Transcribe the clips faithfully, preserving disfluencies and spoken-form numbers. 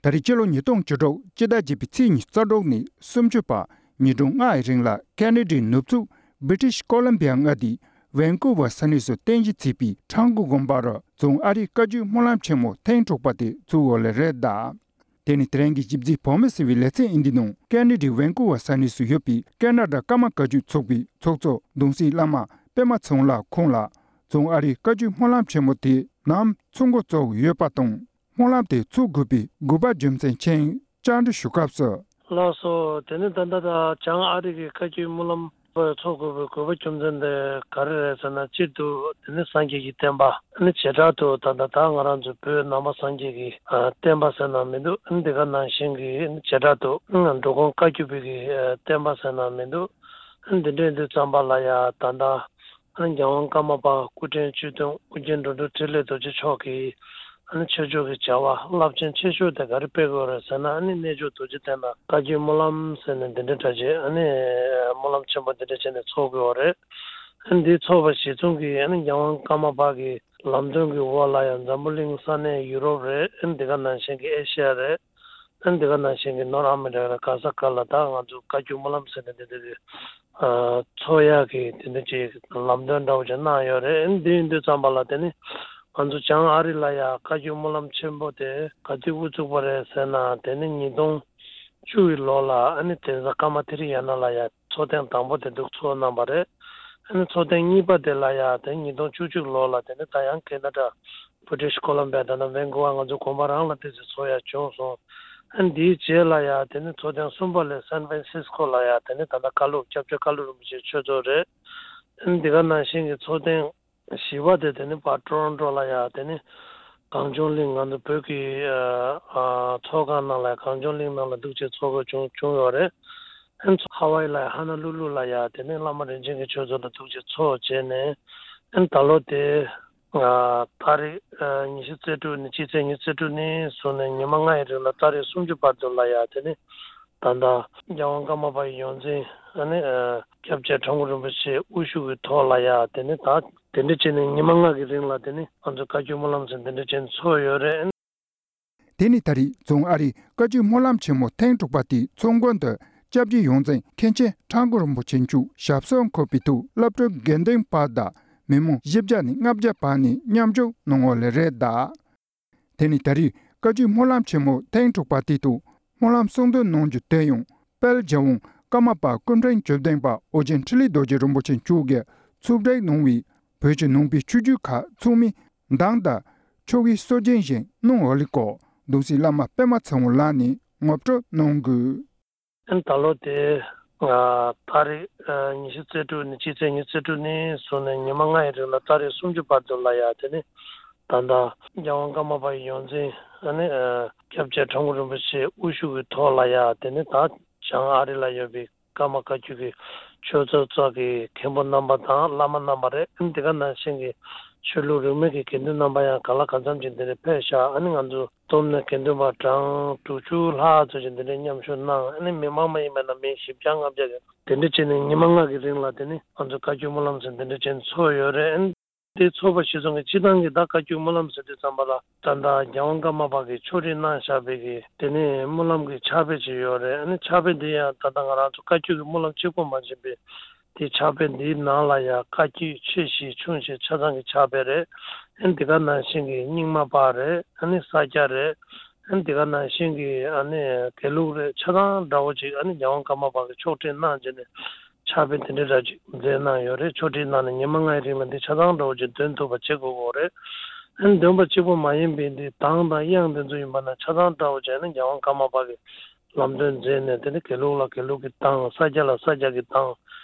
ད་རེས་སྤྱི་ལོ་ཉིས་སྟོང་བཅུ་དྲུག་སྤྱི་ཟླ་བརྒྱད་པའི་ཚེས་ཉི་ཤུ་རྩ་དྲུག་ནས་སུམ་ཅུ་བར་ཉིན་གྲངས་ལྔའི་རིང་ལ་ཁེ་ན་ཌའི་ནུབ་ཕྱོགས་བྷི་ཊི་ཤི་ཀོ་ལམ་བི་ཡ་མངའ་སྡེའི་ཝན་ཀུ་ཝར་ས་གནས་སུ་རྟེན་གཞི་བྱས་པའི་ཁྲ་འགུ་དགོན་པར་རྫོང་ཨ་རིའི་བཀའ་བརྒྱུད་སྨོན་ལམ་ཆེན་མོ་ཐེངས་དྲུག་པ་དེ་ཚུགས་ཡོད་ལེ་རེད་གདའ། དེ་ནི་དེ་རིང་གི་ཞིབ་འཚིག་བོད་མི་ཟེར་བའི་ལེ་ཚན་ཨིན་ཇི་ནང་ཁེ་ན་ཌའི་ཝན་ཀུ་ཝར་ས་གནས་སུ་ཡོད་པའི་ཁེ་ན་ཌ་ཀརྨ་བཀའ་བརྒྱུད་ཚོགས་པའི་ཚོགས་གཙོ་གདུང་སྲས་བླ་མ་པད་མ་ཚེ་དབང་ལགས་ཁོང་ལ་རྫོང་ཨ་རིའི་བཀའ་བརྒྱུད་སྨོན་ལམ་ཆེན་མོ་དེ་ནམ་ཚུགས་འགོ་བཙུགས་ཡོད་པ་དང་། སྨོན་ལམ་དེ་ཚུགས་དགོས་པའི་དགོས་པ་རྒྱུ་མཚན་ཅི་ཡིན་བཅར་འདྲི་ཞུ་སྐབས་སུ། ལགས་སོ། དེ་ནི་ད་ལྟ་ད་བྱང་ཨ་རི་གི་བཀའ་བརྒྱུད་སྨོན་ལམ་པ་ཚོགས་དགོས་པའི་དགོས་པ་རྒྱུ་མཚན་དེ་ག་རེ་རེད་ཟེར་ན། སྤྱིར་དུ་དེ་ནི་སངས་རྒྱས་ཀྱི་བསྟན་པ་ནི་བྱེ་བྲག་ཏུ་ད་ལྟ་ད་ང་རང་ཚོ་བོད་ནང་པ་སངས་རྒྱས་ཀྱི་ཨ་བསྟན་པ་ཟེར་ན་མི་འདུག་འདི་ག་ནང་བཞིན་གྱི་བྱེ་བྲག་ཏུ་འགྲོ་མགོན་བཀའ་བརྒྱུད་པའི་གི་ཨ་བསྟན་པ་ཟེར་ན་མི་འདུག་འདི་འདྲའི་དུས་ཙམ་པ་ལ་ཡ་ད་ལྟ། ཨ་ནི་རྒྱལ་དབང་ཀརྨ་པ་སྐུ་ཕྲེང་བཅུ་བདུན་ཨོ་རྒྱན་འགྲོ་དྲུག་ཕྲིན་ལས་རྡོ་རྗེ་མཆོག་གིས་ཨ་ནི་ཆོས་ཕྱོགས་ཀྱི་བྱ་བ་རླབས་ཆེན་ཆེ་ཤོས་དེ་ག་རེ་སྤེལ་དགོས་རེད་ཟེར་ན། ཨ་ནི་གནས་མཆོག་རྡོ་རྗེ་གདན་ལ་བཀའ་བརྒྱུད་སྨོན་ལམ་ཟེར་ནས་འདི་འདྲའི་གྲ་ཆས་ཨ་ནི་སྨོན་ལམ་ཆེན་པོ་འདི་འདྲ་བྱས་ནས་ཚོགས་དགོས་པ་རེད། ཨ་ནི་འདིའི་ཚོགས་པ་གཞི་བཟུང་གིས་ཨ་ནི་རྒྱལ་དབང་ཀརྨ་པ་གི་ལམ་སྟོན་གྱི་འོག་ལ་ཡང་འཛམ་བུ་གླིང་ས་གནས་ཡུ་རོབ་རེད། ཨ་ནི་འདི་ག་ནང་བཞིན་གྱི་ཨེ་ཤི་ཡ་རེད། ཨ་ནི་འདི་ག་ནང་བཞིན་གྱི་ནོར་ཨ་མི་རི་ཀ་ལ་ག་ས་ག་ལ་ད་ང་ཚོ་བཀའ་བརྒྱུད་སྨོན་ལམ་ཟེར་ནས་འདི་འདི་གི་ཨ་ཚོགས་ཡག་གི་དེ་འདྲ་ཅིག་ལམ་སྟོན་འདྲ་བོ་ཅིག་གནང་ཡོད་རེད། ཨ་ནི་འདི་ཡིན་དུས་ཙམ་པ་ལ་དེ་ནི་ང་ཚོ་བྱང་ཨ་རི་ལ་ཡ་བཀའ་བརྒྱུད་སྨོན་ལམ་ཆེན་པོ་དེ་ག་དུས་དབུ་བཙུགས་པ་རེད་ཟེར་ན། དེ་ནི་ཉིས་སྟོང་བཅུ་བའི་ལོ་ལ་ཨ་ནི་དེ་ཚ་ཀརྨ་ཐེ་རི་ཡ་ན་ལ་ཡ་ཚོགས་ཐེངས་དང་པོ་དེ་འདུག་ཚོགས་གནང་བ་རེད། ཨ་ནི་ཚོགས་ཐེངས་གཉིས་པ་དེ་ལ་ཡ་དེ་ཉིས་སྟོང་བཅུ་གཅིག་ལོ་ལ་དེ་ནི་ད་ཡང་ཁེ་ན་ཌ་བྷི་ཊི་ཤི་ཀོ་ལམ་བྷི་ཡ་ད་ནི་ཝན་ཀུ་ཝར་ང་ཚོ་དགོན་པ་རང་ལ་དེ་ཚོ་ཚོགས་ཡ་བྱུང་སོང་། ཨ་ནི་འདིའི་རྗེས་ལ་ཡ་དེ་ནི་ཚོགས་ཐེངས་གསུམ་པ་ལ་སན་ཧྥན་སིས་ཀོ་ལ་ཡ་དེ་ནི་ད་ལྟ་བཀའ་སློབ་སྐྱབས་རྗེ་བཀའ་སློབ་རིན་པོ་ཆེ་ཆོས་ཚོགས་རེད། ཨ་ནི་འདི་ག་ནང་བཞིན་གྱི་ཚོགས་ཐེངས་བཞི་པ་དེ་དེ་ནི་ཕར་ཊོ་རོན་ཊོ་ལ་ཡ་དེ་ནི་གངས་ལྗོངས་གླིང་ང་ཚོ་བོད་ཀྱི་ཨ་ཨ་ཚོགས་ཁང་ནང་ལ་ཡ་གངས་ལྗོངས་གླིང་ནང་ལ་འདུག་བྱས་ཚོགས་དགོས་བྱུང་བྱུང་ཡོད་རེད། ཨ་ནི་ཧ་ཝའི་ལ་ཡ་ཧ་ན་ལུ་ལུ་ལ་ཡ་དེ་ནི་བླ་མ་རིན་ཆེན་གྱི་ཆོས་ཚོགས་ལ་འདུག་བྱས་ཚོགས་བྱས་ནས། ཨ་ནི་ད་ལོ་དེ་ཨ་ཏ་རིག་ཨ་ཉི་ཤུ་རྩ་དྲུག་ནས་སྤྱི་ཚེས་ཉི་ཤུ་རྩ་དྲུག་ནས་བཟུང་ནས་ཉི་མ་ལྔ་ཡི་རིང་ལ་ཏ་རིག་སུམ་ཅུ་བར་དུ་ལ་ཡ་དེ་ནི་ད་ལྟ་རྒྱལ་དབང་ཀརྨ་པ་ཡི་ཡོངས་འཛིན་ཨ་ནི་ཨ་སྐྱབས་རྗེ་ཁྲ་འགུ་རིན་པོ་ཆེ་དབུ་བཞུགས་ཀྱི་ཐོག་ལ་ཡ་དེ་ནི་ད་དེ་འདྲ་བྱས་ནས་ཉི་མ་ལྔ་གི་རིང་ལ་དེ་ནི་ང་ཚོ་བཀའ་བརྒྱུད་སྨོན་ལམ་ཟེར་འདི་འདྲ་བྱས་ནས་ཚོགས་ཡོད་རེད། དེ་ནི་ད་རེས་རྫོང་ཨ་རིའི་བཀའ་བརྒྱུད་སྨོན་ལམ་ཆེན་མོ་ཐེངས་དྲུག་པ་དེའི་ཚོགས་མགོན་དུ་སྐྱབས་རྗེ་ཡོངས་འཛིན་མཁན་ཆེན་ཁྲ་འགུ་རིན་པོ་ཆེ་མཆོག་ཞབས་སོར་འཁོད་པའི་ཐོག་སློབ་གྲྭའི་དགེ་འདུན་པ་དང་མི་མང་བཞི་བརྒྱ་ནས་ལྔ་བརྒྱ་བར་ནས་མཉམ་ཞུགས་གནང་ཡོད་ལེ་རེད་གདའ། དེ་ནི་ད་རེས་བཀའ་བརྒྱུད་སྨོན་ལམ་ཆེན་མོ་ཐེངས་དྲུག་པ་དེའི་ཐོག་སྨོན་ལམ་གསུང་འདོན་གནང་རྒྱུ་དེ་ཡང་དཔལ་རྒྱལ་དབང་ཀརྨ་པ་སྐུ་ཕྲེང་བཅུ་བདུན་པ་ཨོ་རྒྱན་འཕྲིན་ལས་རྡོ་རྗེ་རིན་པོ་ཆེ་མཆོག་གིས་ཚོགས་སྒྲིག་གནང་བའི་བོད་ཀྱི་ནང་པའི་ཆོས་བརྒྱུད་ཁག་ཚང་མའི་གདངས་དང་ཆོ་གའི་སྲོལ་རྒྱུན་བཞིན་གནང་ཡོད་ལེ་སྐོར་གདུང་སྲས་བླ་མ་པད་མ་ཚེ་དབང་ལགས་ནས་ངོ་སྤྲོད་གནང་དགོས། ཨ་ནི་ད་ལོ་དེ་ཨ་ཏ་རིག་ཨ་ཉི་ཤུ་རྩ་དྲུག་ནས་སྤྱི་ཚེས་ཉི་ཤུ་རྩ་དྲུག་ནས་བཟུང་ནས་ཉི་མ་ལྔ་ཡི་རིང་ལ་ཏ་རིག་སུམ་ཅུ་བར་དུ་ལ་ཡ་དེ་ནི་ད་ལྟ་རྒྱལ་དབང་ཀརྨ་པ་ཡི་ཡོངས་འཛིན་ཨ་ནི་ཨ་སྐྱབས་རྗེ་ཁྲ་འགུ་རིན་པོ་ཆེ་དབུ་བཞུགས་ཀྱི་ཐོག་ལ་ཡ་དེ་ནི་ད་བྱང་ཨ་རི་ལ་ཡོད་པའི་ཀརྨ་བཀའ་བརྒྱུད་ཀྱི་ཆོས་ཚོགས་ཚོགས་ཀྱི་མཁན་པོ་རྣམ་པ་དང་བླ་མ་རྣམ་པ་རེད། ཨ་ནི་དེ་ག་ནང་བཞིན་གྱི་ཆོས་ལུགས་རིས་མེད་ཀྱི་དགེ་འདུན་རྣམ་པ་ཡང་ག་ལ་གང་འཚམ་ཅིག་འདི་ནས་ཕེབས་ཤག་ཨ་ནི་ང་ཚོ་བསྡོམས་ནས་དགེ་འདུན་པ་གྲངས་དྲུག་ཅུ་ལྷག་ཙམ་ཅིག་འདི་འདྲའི་མཉམ་ཞུགས་གནང་། ཨ་ནི་མི་མང་མ་ཡིན་པ་ན་མི་བཞི་བརྒྱ་ལྔ་བརྒྱ་གི་དེ་འདྲ་བྱས་ནས་ཉི་མ་ལྔ་གི་རིང་ལ་དེ་ནི་ང་ཚོ་བཀའ་བརྒྱུད་སྨོན་ལམ་ཟེར་འདི་འདྲ་བྱས་ནས་ཚོགས་ཡོད་རེད། ཨ་ནི་དེ་ཚོགས་པ་གཞི་བཟུང་གི་སྤྱི་བཏང་གི་ད་བཀའ་བརྒྱུད་སྨོན་ལམ་ཟེར་དུས་ཙམ་པ་ལ་ད་ལྟ་རྒྱལ་དབང་ཀརྨ་པ་གིས་ཕྱོགས་སྒྲིག་གནང་བཞག་པའི་གི་དེ་ནི་སྨོན་ལམ་གྱི་ཕྱག་དཔེ་ཅིག་ཡོད་རེད། ཨ་ནི་ཕྱག་དཔེ་འདི་ཡང་ད་ལྟ་ང་རང་ཚོ་བཀའ་བརྒྱུད་ཀྱི་སྨོན་ལམ་གཅིག་པོ་མ་ཡིན་པའི་དེ་ཕྱག་དཔེ་འདིའི་ནང་ལ་ཡང་བཀའ་བརྒྱུད་ཆེ་བཞི་ཆུང་བཞི་ཆ་ཚང་གི་ཕྱག་དཔེ་རེད། ཨ་ནི་འདི་ག་ནང་བཞིན་གྱི་རྙིང་མ་པ་རེད། ཨ་ནི་ས་སྐྱ་རེད། ཨ་ནི་འདི་ག་ནང་བཞིན་གྱི་ཨ་ནི་དགེ་ལུགས་རེད། ཆ་ཚང་འདྲ་བོ་ཅིག་ཨ་ནི་རྒྱལ་དབང་ཀརྨ་པ་གིས་ཕྱོགས་སྒྲིག་གནང་བྱས་ནས་ཕྱག་དཔེ་འདི་འདྲ་འདྲ་ཅིག་མཛད་གནང་ཡོད་རེད། ཕྱོགས་སྒྲིག་གནང་ནས་ཉི་མ་ལྔའི་རིང་ལ་འདི་ཆ་ཚང་འདྲ་བོ་ཅིག་འདོན་ཐུབ་པ་བྱེད་དགོས་ཀྱི་ཡོད་རེད། ཨ་ནི་འདོན་པ་གཅིག་པོ་མ་ཡིན་པའི་འདི་གདངས་དང་དབྱངས་འདི་ཚོ་ཡིན་པ་ན་ཆ་ཚང་འདྲ་བོ་བྱས་ནས་རྒྱལ་དབང་ཀརྨ་པ་གིས་ལམ་སྟོན་མཛད་ནས། དེ་ནི་དགེ་ལུགས་ལ་དགེ་ལུགས་ཀྱི་གདངས། ས་སྐྱ་ལ་ས་སྐྱ་གི་གདངས།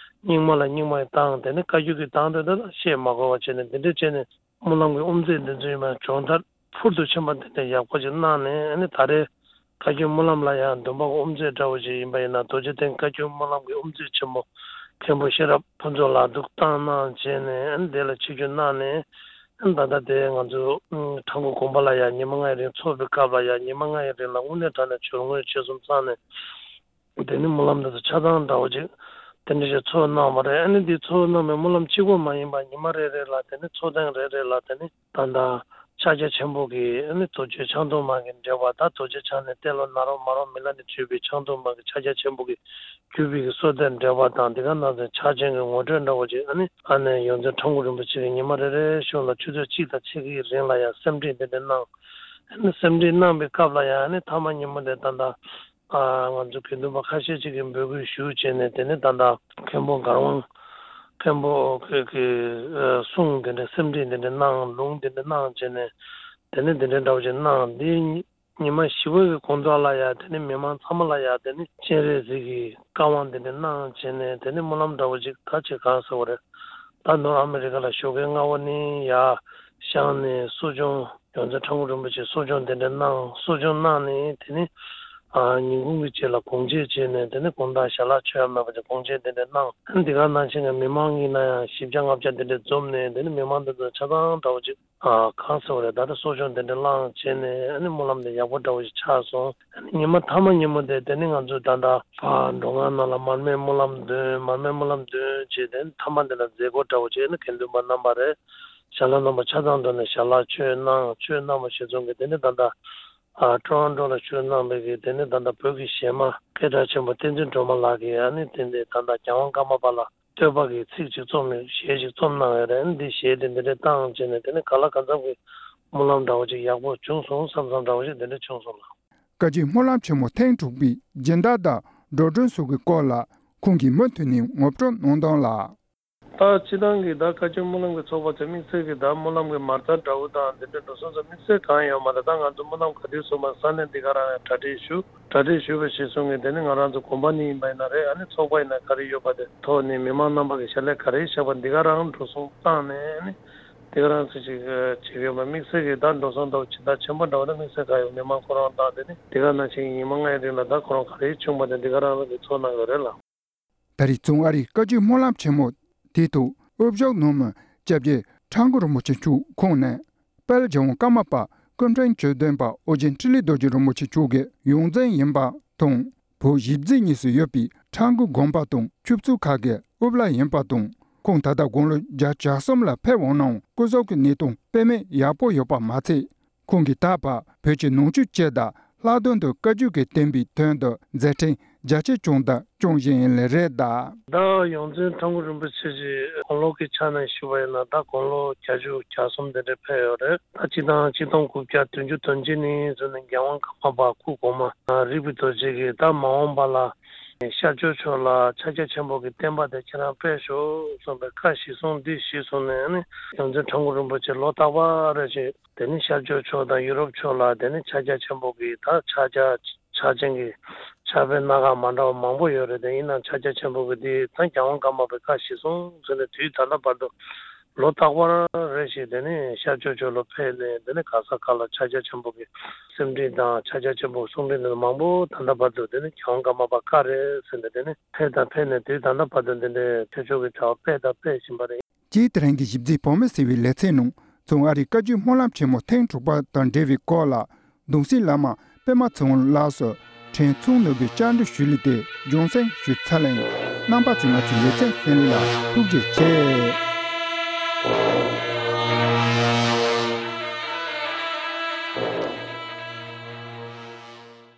རྙིང་མ་ལ་རྙིང་མ་ཡི་གདངས། དེ་ནི་བཀའ་བརྒྱུད་ཀྱི་གདངས་དེ་འདྲ་བཤད་མ་དགོས་པ་བྱས་ནས་འདི་འདྲ་བྱས་ནས་སྨོན་ལམ་གྱི་དབུ་མཛད་འདི་ཚོ་ཡིན་པ་སྦྱོང་བརྡར་ཕུལ་དུ་ཕྱིན་པ་འདི་འདྲ་ཡག་པོ་ཅིག་གནང་ནས། ཨ་ནི་ད་རེས་བཀའ་བརྒྱུད་སྨོན་ལམ་ལ་ཡང་འདོན་པ་གི་དབུ་མཛད་འདྲ་བོ་ཅིག་ཡིན་པ་ཡིན་ན་རྡོ་རྗེ་གདན་བཀའ་བརྒྱུད་སྨོན་ལམ་གྱི་དབུ་མཛད་ཆེན་མོ་མཁན་པོ་ཤེས་རབ་ཕུན་ཚོགས་ལགས་འདུག་བཏང་གནང་བྱས་ནས། ཨ་ནི་དེ་ལ་ཆིབས་བསྒྱུར་གནང་ནས། ཨ་ནི་ད་ལྟ་དེ་ང་ཚོ་ཁྲ་འགུ་དགོན་པ་ལ་ཡང་ཉི་མ་ལྔའི་རིང་ཚོགས་པའི་སྐབས་ལ་ཡང་ཉི་མ་ལྔའི་རིང་ལ་དངོས་གནས་དྲང་གནས་མཆོད་དངོས་ཆོས་གསུམ་ཚང་ནས། དེ་ནི་སྨོན་ལམ་འདི་ཚོ་ཆ་ཚང་འདྲ་བོ་ཅིག་དེ་འདྲ་ཞིག་ཚོགས་གནང་བ་རེད། ཨ་ནི་འདི་ཚོགས་གནང་བའི་སྨོན་ལམ་གཅིག་པོ་མ་ཡིན་པ་ཉི་མ་རེ་རེ་ལ་དེ་ནི་ཚོགས་ཐེངས་རེ་རེ་ལ་དེ་ནི་ད་ལྟ་ ཕྱག་རྒྱ་ཆེན་པོ་གི་ཨ་ནི་རྡོ་རྗེ་འཆང་ཐུང་མ་གི་འགྲེལ་པ་དང་། རྡོ་རྗེ་འཆང་ནས་གཏེར་ལ་ན་རོ་མ་རོ་མི་ལ་ནས་བརྒྱུད་པའི་འཆང་ཐུང་མ་གི་ཕྱག་རྒྱ་ཆེན་པོ་གི་བརྒྱུད་པའི་གི་སྲོལ་གཏོད་འགྲེལ་པ་དང་། འདི་ག་ནང་ཚན་ཕྱག་ཆེན་གྱི་ངོ་སྤྲོད་འདྲ་བོ་ཅིག་ཨ་ནི་ཨ་ནི་ཡོངས་འཛིན་ཁྲ་འགུ་རིན་པོ་ཆེ་གིས་ཉི་མ་རེ་རེ་བཞིན་ལ་ཆུ་ཚོད་གཅིག་དང་ཕྱེད་ཀའི་རིང་ལ་ཡང་སེམས་ཁྲིད་འདི་འདྲ་གནང་། ཨ་ནི་སེམས་ཁྲིད་གནང་པའི་སྐབས་ལ་ཡང་ཨ་ནི་ཐ་མ་ཉིན་མོ་དེ་ད་ལྟ་ཨ་ང་ཚོ་དགེ་འདུན་པ་ཁ་ཤས་ཅིག་གིས་འབོད་སྐུལ་ཞུ་བྱས་ནས། དེ་ནས་ད་ལྟ་མཁན་པོ་གར་དབང་མཁན་པོ་གི་གི་ཨ་གསུང་དེ་འདྲ་སེམས་ཁྲིད་དེ་འདྲ་གནང་། ལུང་དེ་འདྲ་གནང་བྱས་ནས། དེ་ནས་དེ་འདྲ་འདྲ་བོ་ཅིག་གནང་། འདི་ཉི་མ་བཞི་པ་གི་དགོང་དག་ལ་ཡ་དེ་ནས་མི་མང་ཚང་མ་ལ་ཡ་དེ་ནས་སྤྱན་རས་གཟིགས་ཀྱི་བཀའ་དབང་དེ་འདྲ་གནང་བྱས་ནས། དེ་ནས་སྨོན་ལམ་འདྲ་བོ་ཅིག་ད་ཅིག་གང་ཟེར་བ་རེད། ད་ནོར་ཨ་མི་རི་ཀ་ལ་ཞོགས་ཀའི་སྔ་བོ་ནས་ཡར་བཞེངས་ནས་གསོ་སྦྱོང་། ཡོངས་འཛིན་ཁྲ་འགུ་རིན་པོ་ཆེས་གསོ་སྦྱོང་དེ་འདྲ་གནང་། གསོ་སྦྱོང་གནང་ནས་དེ་ནས་ཨ་ཉིན་གུང་གི་རྗེས་ལ་དགོང་མཇལ་བྱས་ནས། དེ་ནས་དགོང་དག་ཞལ་ལག་མཆོད་ཡ་མེད་པ་ཅིག་དགོང་མཇལ་དེ་འདྲ་གནང་། འདི་ག་ནང་བཞིན་གྱི་མི་མང་གི་ནང་ཡང་བཞི་བརྒྱ་ལྔ་བརྒྱ་དེ་འདྲ་འཛོམས་ནས། དེ་ནས་མི་མང་དེ་ཚོ་ཆ་ཚང་འདྲ་བོ་ཅིག་ཨ་གང་ཟེར་བ་རེད། ད་ལྟ་གསོ་སྦྱོང་དེ་འདྲ་བླངས་བྱས་ནས། ཨ་ནི་སྨོན་ལམ་དེ་ཡག་པོ་འདྲ་བོ་ཞིག་ཆགས་སོང་། ཨ་ནི་ཉི་མ་མཐའ་མ་ཉིན་མོ་དེ་དེ་ནི་ང་ཚོས་ད་ལྟ་ཕར་འགྲོ་ཁང་ནང་ལ་མར་མེ་སྨོན་ལམ་འདོན། མར་མེ་སྨོན་ལམ་འདོན་བྱས། དེ་ནི་མཐའ་མ་དེ་ལ་མཛད་སྒོ་འདྲ་བོ་བྱས་ནས་དགེ་འདུན་པ་རྣམ་པ་རེད། ཞལ་ལག་རྣམ་པ་ཆ་ཚང་འདོན་ནས་ཞལ་ལག་མཆོད་གནང་། མཆོད་གནང་བ་ཞིག་སོང་གི། དེ་ནི་ད་ལྟ་ཨ་ཊོ་རོན་ཊོ་ལ་བཞུགས་གནང་བའི་གི་དེ་ནི་ད་ལྟ་བོད་ཀྱི་གཞས་མ་སྐད་གྲགས་ཆེན་པོ་བསྟན་འཛིན་སྒྲོལ་མ་ལགས་ཀྱིས་ཨ་ནི་དེ་འདི་ད་ལྟ་རྒྱལ་དབང་ཀརྨ་པ་ལ་བསྟོད་པ་གི་ཚིག་ཅིག་རྩོམ་ནས། གཞས་ཅིག་རྩོམ་གནང་ཡོད་རེད། འདི་གཞས་དེ་འདི་འདྲ་བཏང་བྱས་ནས། དེ་ནས་གང་ལ་གང་འཚམ་གྱི་སྨོན་ལམ་འདྲ་བོ་ཅིག་ཡག་པོ་བྱུང་སོང་བསམ་བསམ་འདྲ་བོ་ཞིག་དེ་འདྲ་བྱུང་སོང་ལགས། བཀའ་བརྒྱུད་སྨོན་ལམ་ཆེན་མོ་ཐེངས་དྲུག་པའི་སྦྱིན་བདག་དང་འགྲོ་གྲོན་སོགས་ཀྱི་སྐོར་ལ་ཁོང་གིས་མུ་མཐུད་ནས་ངོ་སྤྲོད་གནང་དོན་ལ། ད་སྤྱི་བཏང་གི་ད་བཀའ་བརྒྱུད་སྨོན་ལམ་གྱི་ཚོགས་པ་ཚོས་དམིགས་བསལ་གྱི་ད་སྨོན་ལམ་གྱི་མ་རྩ་འདྲ་བོ་དང་དེ་འདྲ་འགྲོ་སོང་ཚོ་དམིགས་བསལ་གང་ཡོད་མ་རེད། ད་ང་ཚོ་སྨོན་ལམ་ག་དུས་གསུངས་པ་ས་གནས་འདི་ག་རང་ཡང་གྲ་སྒྲིག་ཞུ། གྲ་སྒྲིག་ཞུས་པ་གཞིར་བཟུང་གིས་དེ་ནི་ང་རང་ཚོ་དགོན་པ་ནས་ཡིན་པ་ཡིན་ན་རེད། ཨ་ནི་ཚོགས་པ་ཡིན་ན་ག་རེ་ཡོད་པ་དེ་ཐོག་ནས་མི་མང་རྣམ་པ་གི་ཞལ་ལས་ག་རེ་བཞག་པ་འདི་ག་རང་འགྲོ་སོང་བཏང་ནས། ཨ་ནི་འདི་ག་རང་ཚོ་ཅིག་བྱེད་ཀྱི་ཡོད་པ། དམིགས་བསལ་གྱི་ད་འགྲོ་སོང་འདྲ་བོ་ཇི་ལྟར་ཆེན་པོ་འདྲ་བོ་ད་དམིགས་བསལ་གང་ཡོད། མི་མང་ཁོ་རང་དང་དེ་ནི་འདི་ག་ནང་བཞིན་ཉི་མ་ལྔའི་རིང་ལ་ད་ཁོ་རང་ག་རེ་བྱུང་བ་དེ་འདི་ག་རང་རང་གིས་ཚོར་གནང་ཡོད་རེད་ལགས། ད་རེས་རྫོང་ཨ་རིའི་བཀའ་བརྒྱུད་སྨོན་ལམ་ཆེན་མོ་དེའི་ཐོག་དབུ་བཞུགས་གནང་མི་སྐྱབས་རྗེ་ཁྲ་འགུ་རིན་པོ་ཆེ་མཆོག་ཁོང་ནས། དཔལ་རྒྱལ་དབང་ཀརྨ་པ་སྐུ་ཕྲེང་བཅུ་བདུན་པ་ཨོ་རྒྱན་འཕྲིན་ལས་རྡོ་རྗེ་རིན་པོ་ཆེ་མཆོག་གི་ཡོངས་འཛིན་ཡིན་པ་དང་། བོད་གཞིས་རྩེ་གཉིས་སུ་ཡོད་པའི་ཁྲ་འགུ་དགོན་པ་དང་ཆོས་ཚོགས་ཁག་གི་དབུ་བླ་ཡིན་པ་དང་། ཁོང་ད་ལྟ་དགུང་ལོ་བརྒྱད་ཅུ་གྱ་གསུམ་ལ་ཕེབས་འོང་ནའང་སྐུ་གཟུགས་ཀྱི་གནས་སྟངས་དཔེ་མེད་ཡག་པོ་ཡོད་པ་མ་ཚད། ཁོང་གིས་ད་བར་བོད་ཀྱི་ནང་ཆོས་སྤྱི་དང་ལྷག་དོན་དུ་བཀའ་བརྒྱུད་ཀྱི་བསྟན་པའི་དོན་དུ་མཛད་འཕྲིན་རྒྱ་ཆེ་བསྐྱངས་དང་སྐྱོང་བཞིན་ཡིན་ལེ་རེད་གདའ། ད་ཡོངས་འཛིན་ཁྲ་འགུ་རིན་པོ་ཆེ་ཞིག་དགུང་ལོ་གི་ཆ་ནས་ཞུ་བ་ཡིན་ན། ད་དགུང་ལོ་བརྒྱད་ཅུ་གྱ་གསུམ་དེ་འདྲ་ཕེབས་ཡོད་རེད། ད་སྤྱི་བཏང་ཆིག་སྟོང་དགུ་བརྒྱ་བདུན་ཅུ་དོན་གཅིག་ནས་བཟུང་ནས་རྒྱལ་དབང་ཀརྨ་པ་སྐུ་གོང་མ་རིག་པའི་རྡོ་རྗེ་གིས་ད་མ་འོངས་པ་ལ་ཤར་ཕྱོགས་ཕྱོགས་ལ་ཕྱག་རྒྱ་ཆེན་པོ་གི་བསྟན་པ་དེ་ཁྱེད་རང་སྤེལ་ཤོག་གསུངས་པའི་བཀའ་གཞིར་བཟུང་འདི་གཞིར་བཟུང་ནས་ནི་ཡོངས་འཛིན་ཁྲ་འགུ་རིན་པོ་ཆེ་ལོ་རྟག་པར་རེ་བཞིན་དེ་ནི་ཤར་ཕྱོགས་ཕྱོགས་དང་ཡུ་རོབ་ཕྱོགས་ལ་དེ་ནི་ཕྱག་རྒྱ་ཆེན་པོ་གི་ད་ཕྱག་རྒྱ་ཕྱག་ཆེན་གྱི་ཕྱག་དཔེ་སྣ་ཁ་མ་འདྲ་བ་མང་པོ་ཡོད་རེད། དེ་ཡིན་ནའང་ཕྱག་རྒྱ་ཆེན་པོ་གི་འདི་ད་རྒྱལ་དབང་ཀརྨ་པའི་བཀའ་གཞིར་བཟུང་ཟེར་ནས་དུས་ད་ལྟ་བར་དུ་ལོ་རྟག་པར་རེ་བཞིན་དེ་ནི་ཤར་ཕྱོགས་ཕྱོགས་ལ་ཕེབས་ནས་དེ་ནི་ག་ས་ག་ལ་ཕྱག་རྒྱ་ཆེན་པོ་གི་སེམས་ཁྲིད་དང་ཕྱག་རྒྱ་ཆེན་པོ་གསུང་འཕྲིན་དེ་ཚོ་མང་པོ་ད་ལྟ་བར་དུ་དེ་ནི་རྒྱལ་དབང་ཀརྨ་པ་བཀའ་རེད་ཟེར་ནས་དེ་ནི་ཕེབས་དང་ཕེབས་ནས་དུས་ད་ལྟ་བར་དུ་འདི་འདྲའི་ཆོས་ཕྱོགས་ཀྱི་བྱ་བ་སྤེལ་དང་སྤེལ་བཞིན་པ་རེད། སྤྱིར་དེ་རིང་གི་གཞིས་རྩེའི་བོད་མི་ཟེར་བའི་ལེ་ཚན་ནང་རྫོང་ཨ་རིའི་བཀའ་བརྒྱུད་སྨོན་ལམ་ཆེན་མོ་ཐེངས་དྲུག་པ་དང་འབྲེལ་བའི་སྐོར་ལ་གདུང་སྲས་བླ་མ་པད་མ་ཚེ་དབང་ལགས་སུ་དྲན་གསོ་ནོར་བུའི་བཅར་འདྲི་ཞུས་ལེ་དེ་རྒྱང་སྲིང་ཞུས་ཚར་ལེ། རྣམ་པ་ཚོས་ང་ཚོའི་ལེ་ཚན་གསན་ལེ་ལ་ཐུགས་རྗེ་ཆེ།